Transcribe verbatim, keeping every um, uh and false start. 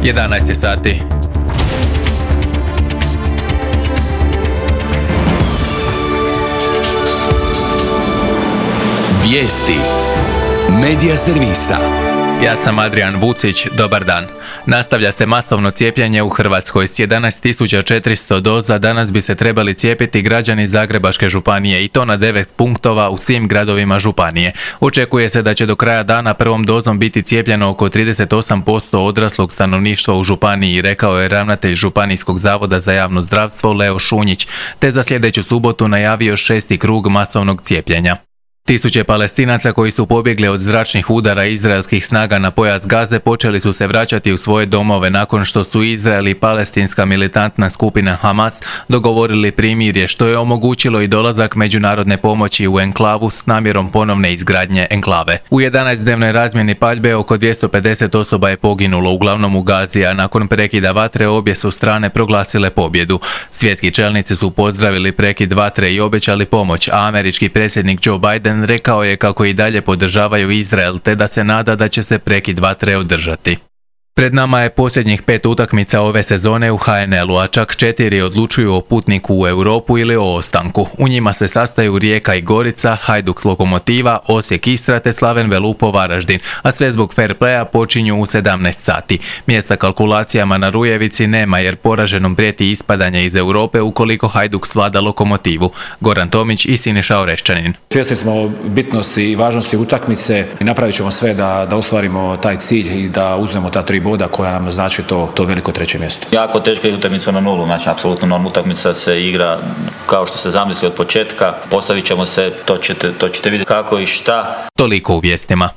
jedanaest je sati. Vijesti Medija servisa. Ja sam Adrian Vucić, dobar dan. Nastavlja se masovno cijepljenje u Hrvatskoj. S jedanaest tisuća četiristo doza danas bi se trebali cijepiti građani Zagrebačke županije i to na devet punktova u svim gradovima županije. Očekuje se da će do kraja dana prvom dozom biti cijepljeno oko trideset osam posto odraslog stanovništva u županiji, rekao je ravnatelj Županijskog zavoda za javno zdravstvo Leo Šunjić, te za sljedeću subotu najavio šesti krug masovnog cijepljenja. Tisuće Palestinaca koji su pobjegli od zračnih udara izraelskih snaga na pojas Gaze počeli su se vraćati u svoje domove nakon što su Izrael i palestinska militantna skupina Hamas dogovorili primirje, što je omogućilo i dolazak međunarodne pomoći u enklavu s namjerom ponovne izgradnje enklave. U jedanaestdnevnoj razmjeni paljbe oko dvjesto pedeset osoba je poginulo, uglavnom u Gazi, a nakon prekida vatre obje su strane proglasile pobjedu. Svjetski čelnici su pozdravili prekid vatre i obećali pomoć, a američki predsjednik Joe Biden rekao je kako i dalje podržavaju Izrael te da se nada da će se prekid vatre održati. Pred nama je posljednjih pet utakmica ove sezone u ha en el-u, a čak četiri odlučuju o putniku u Europu ili o ostanku. U njima se sastaju Rijeka i Gorica, Hajduk Lokomotiva, Osijek Istra te Slaven Velupo Varaždin, a sve zbog fair playa počinju u sedamnaest sati. Mjesta kalkulacijama na Rujevici nema jer poraženom prijeti ispadanje iz Europe ukoliko Hajduk svlada Lokomotivu. Goran Tomić i Siniša Oreščanin. Svjesni smo bitnosti i važnosti utakmice i napravit ćemo sve da, da ostvarimo taj cilj i da uzmemo ta tri boda koja nam znači to, to veliko treće mjesto. Jako teška je utakmica na nulu, znači apsolutno normalna utakmica se igra kao što se zamisli od početka, postavit ćemo se, to ćete, to ćete vidjeti kako i šta. Toliko u vijestima.